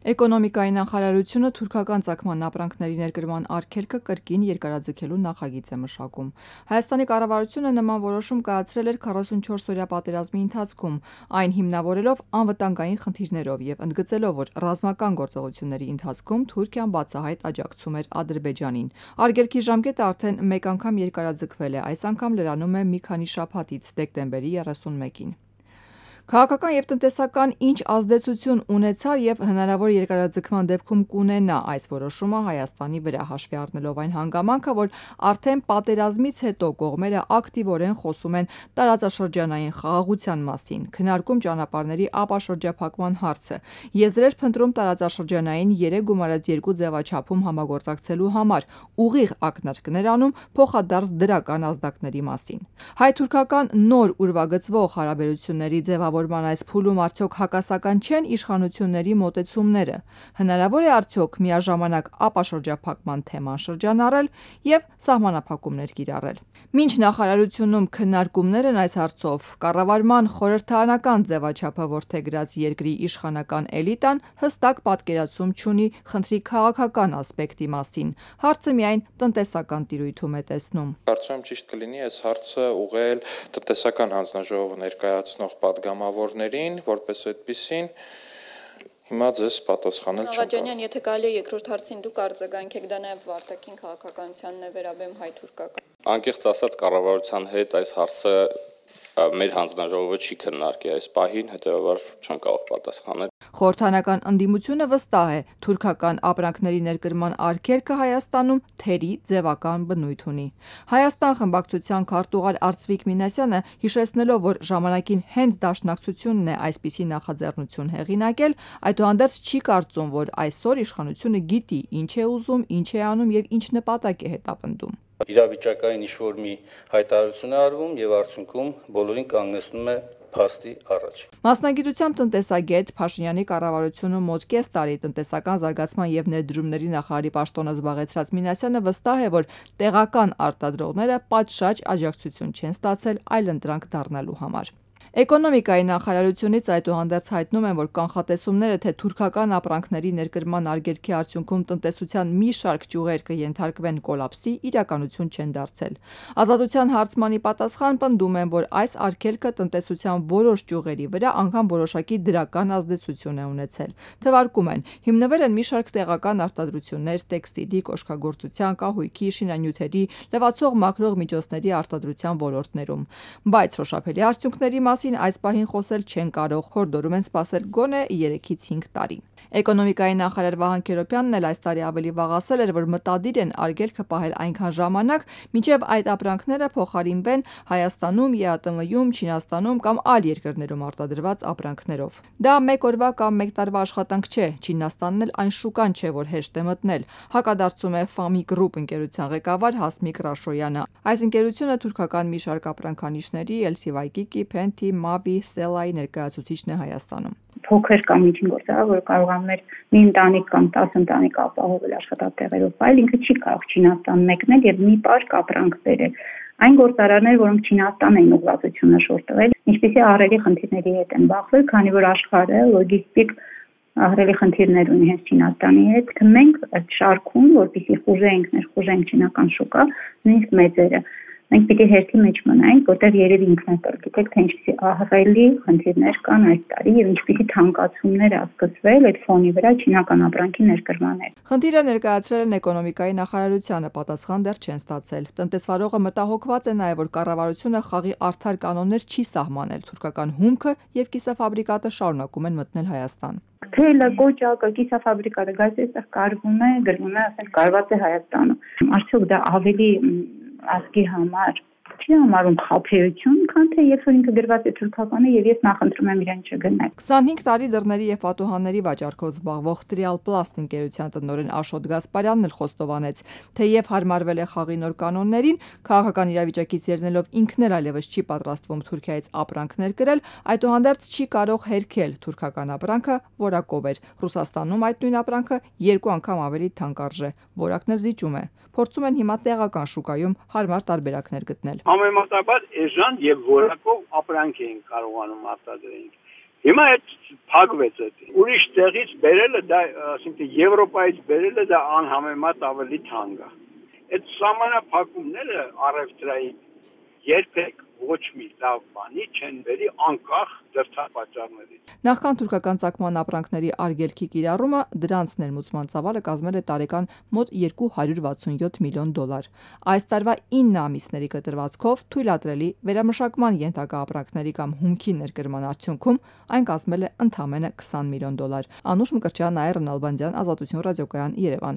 Էկոնոմիկայի նախարարությունը թուրքական ծագման ապրանքների ներկրման արգելքը կրկին երկարաձգելու նախագիծ է մշակում։ Հայաստանի կառավարությունը նման որոշում կայացրել էր 44-օրյա պատերազմի ընթացքում, այն հիմնավորելով անվտանգային խնդիրներով եւ ընդգծելով, որ ռազմական գործողությունների ընթացքում Թուրքիան բացահայտ աջակցում էր Ադրբեջանին։ Արգելքի ժամկետը արդեն մեկ անգամ երկարաձգվել է, այս անգամ լրանում է մի քանի շաբաթից՝ դեկտեմբերի 31-ին։ Քաղաքական եւ տնտեսական ինչ ազդեցություն ունեցավ եւ հնարավոր երկարաձգման դեպքում կունենա այս որոշումը Հայաստանի վրա, հաշվի առնելով այն հանգամանքը, որ արդեն պատերազմից հետո կողմերը ակտիվորեն խոսում են տարածաշրջանային խաղաղության մասին, քննարկում ճանապարհների ապաշրջափակման հարցը, եզրեր փնտրում տարածաշրջանային 3+2 ձևաչափում համագործակցելու համար, ուղիղ ակնարկներ անում փոխադարձ դրական ազդակների մասին։ Հայ-թուրքական նոր ուրվագծվող հարաբերությունների ձևավորման այս փուլում արդյոք հակասական չեն իշխանությունների մոտեցումները, հնարավոր է արդյոք միաժամանակ ապաշրջափակման թեման շրջանառել եւ սահմանափակումներ կիրառել։ Մինչ նախարարությունում քննարկումներ են այս հարցով, կառավարման խորհրդարանական ձևաչափը որդեգրած երկրի իշխանական էլիտան հստակ պատկերացում չունի խնդրի քաղաքական ասպեկտի մասին, հարցը միայն տնտեսական տիրույթում է տեսնում։ Կարծում եմ ճիշտ կլինի այս հարցը ուղղել տնտեսական հանձնաժողովը ներկայացնող պատգամավորներին, որպես այդպիսին հիմա ձեզ պատասխանել չեմ կարող։ Եթե կարելի է երկրորդ հարցին դուք արձագանք եք, դա նաև Վարդակին քաղաքականությանն է վերաբերում հայ-թուրքական։ Անկեղծ ասած, կառավարության հետ այս հարցը մեր հանձնաժողովը չի քննարկի այս պահին, հետեւաբար չեմ կարող պատասխանել։ Խորհրդարանական ընդդիմությունը վստահ է, թուրքական ապրանքների ներկրման արգելքը Հայաստանում թերի ձևական բնույթ ունի։ Հայաստան խմբակցության քարտուղար Արծվիկ Մինասյանը հիշեցնելով, որ ժամանակին հենց Դաշնակցությունն է այսպիսի նախաձեռնություն հեղինակել, այդուհանդերձ չի կարծում, որ այսօր իշխանությունը գիտի ինչ է ուզում, ինչ է անում եւ ինչ նպատակ է հետապնդում։ Իրավիճակային ինչ-որ մի հայտարարություն է արվում եւ արդյունքում բոլորին կանգնեցնում է փաստի առաջ։ Մասնագիտությամբ տնտեսագետ Փաշինյանի կառավարությունը մոտ կես տարի տնտեսական զարգացման եւ ներդրումների նախարարի պաշտոնը զբաղեցրած Մինասյանը վստահ է, որ տեղական արտադրողները պատշաճ աջակցություն չեն ստացել այլընտրանք դառնալու համար։ Էկոնոմիկայի նախարարությունից այդուհանդերձ հայտնում են, որ կանխատեսումները, թե թուրքական ապրանքների ներկրման արգելքի արդյունքում տնտեսության մի շարք ճյուղեր կենթարկվեն կոլապսի, իրականություն չեն դարձել։ Ազատության հարցմանի պատասխան պնդում են, որ այս արգելքը տնտեսության որոշ ճյուղերի վրա անգամ որոշակի դրական ազդեցություն է ունեցել։ Թվարկում են, հիմնվել են մի շարք տեղական արտադրություններ տեքստիլի, կոշկագործության, կահույքի, շինանյութերի, լվացող մաքրող միջոցների արտադրության ոլորտներում։ Բայց շոշափելի արդյունքների մասին այս պահին խոսել չեն կարող, հորդորում են սպասել գոնե 3-ից 5 տարի։ Էկոնոմիկայի նախարար Վահան Քերոբյանն էլ այս տարի ավելի վաղ ասել էր, որ մտադիր են արգելքը պահել այնքան ժամանակ, մինչև այդ ապրանքները փոխարինվեն Հայաստանում, ԵԱՏՄ-ում, Չինաստանում կամ այլ երկրներում արտադրված ապրանքներով։ Դա մեկ օրվա կամ մեկ տարվա աշխատանք չէ, Չինաստանն էլ այն շուկան չէ, որ հեշտ է մտնել, հակադարձում է Fami Group ընկերության ղեկավար Հասմիկ Ռաշոյանը։ Այս ընկերությունը թուրքական մի շարք ապրանքանիշների Elsivaykiki, Penti, Mavi, Selai ներկայացուցիչն է Հայաստանում։ Փոքր կամ միջին գործարար, որ կարող է մեր մի ընտանիք կամ 10 ընտանիք ապահովել աշխատատեղերով, այլ ինքը չի կարող Չինաստան մեկնել եւ մի պարկ ապրանք բերել։ Այն գործարարներ, որոնք Չինաստան են ուղղվածությունը շուրջ տվել, ինչպեսի ահռելի խնդիրների հետ են բախվել, քանի որ աշխարհը լոգիստիկ ահռելի խնդիրներ ունի հենց Չինաստանի հետ, մենք այդ շարքում, որպեսզի խուժենք, ներխուժենք չինական շուկա, նույնիսկ մեծերը մենք պիտի հերթի մեջ մնայինք, որտեղ երևի ինքնատար գիտեք, թե ինչպիսի ահռելի խնդիրներ կան այս տարի եւ ինչպիսի թանկացումներ ա սկսվել այդ ֆոնի վրա չինական ապրանքի ներկրման հետ։ Խնդիրը ներկայացրել են էկոնոմիկայի նախարարությանը, պատասխան դեռ չեն ստացել։ Տնտեսվարողը մտահոգված է նաեւ, որ կառավարությունը խաղի արդար կանոններ չի սահմանել, թուրքական հումքը եւ կիսաֆաբրիկատը շարունակում են մտնել Հայաստան։ Թելը, կոճակը, կիսաֆաբրիկատը գայս այստեղ կարվում է, գրվում է, ասենք կարված է Հայաստանում։ Արդյոք դա ավելի ազգի համար չի համարում խաբեություն, քան թե երբ որ ինքը գրված է թուրքականը եւ ես նախընտրում եմ իրեն չգնել։ 25 տարի դռների եւ պատուհանների վաճառքով զբաղվող Trial Plast ընկերության տնօրեն Աշոտ Գասպարյանն էլ խոստովանեց, թեև հարմարվել է խաղի նոր կանոններին, քաղաքական իրավիճակից ելնելով ինքն էլ այլևս չի պատրաստվում Թուրքիայից ապրանքներ կրել, այդուհանդերձ չի կարող հերքել թուրքական ապրանքը որակով էր։ Ռուսաստանում այդ նույն ապրանքը 2 անգամ ավելի թանկ արժե, որակն էլ զիջում է։ Փորձում են հիմա տեղական շուկայում հարմար տարբերակներ գտնել։ Համեմատաբար էժան եւ որակով ապրանք էին կարողանում արտադրել։ Հիմա այդ փակվեց այդ։ Ուրիշ տեղից բերելը դա, ասենք Եվրոպայից բերելը դա անհամեմատ ավելի թանկ է։ Այդ սահմանափակումները առևտրային երբեք ոչ մի լավ բանի չեն բերի անկախ դրդապատճառներից։ Նախքան թուրքական ծագման ապրանքների արգելքի կիրառումը դրանց ներմուծման ծավալը կազմել է տարեկան մոտ $267 միլիոն։ Այս տարվա 9 ամիսների կտրվածքով թույլատրելի վերամշակման ենթակա ապրանքների կամ հումքի ներկրման արդյունքում այն կազմել է ընդամենը $20 միլիոն։ Անուշ Մկրտչյան, Նայիրն Ալբանդյան, Ազատություն ռադիոկայան, Երևան։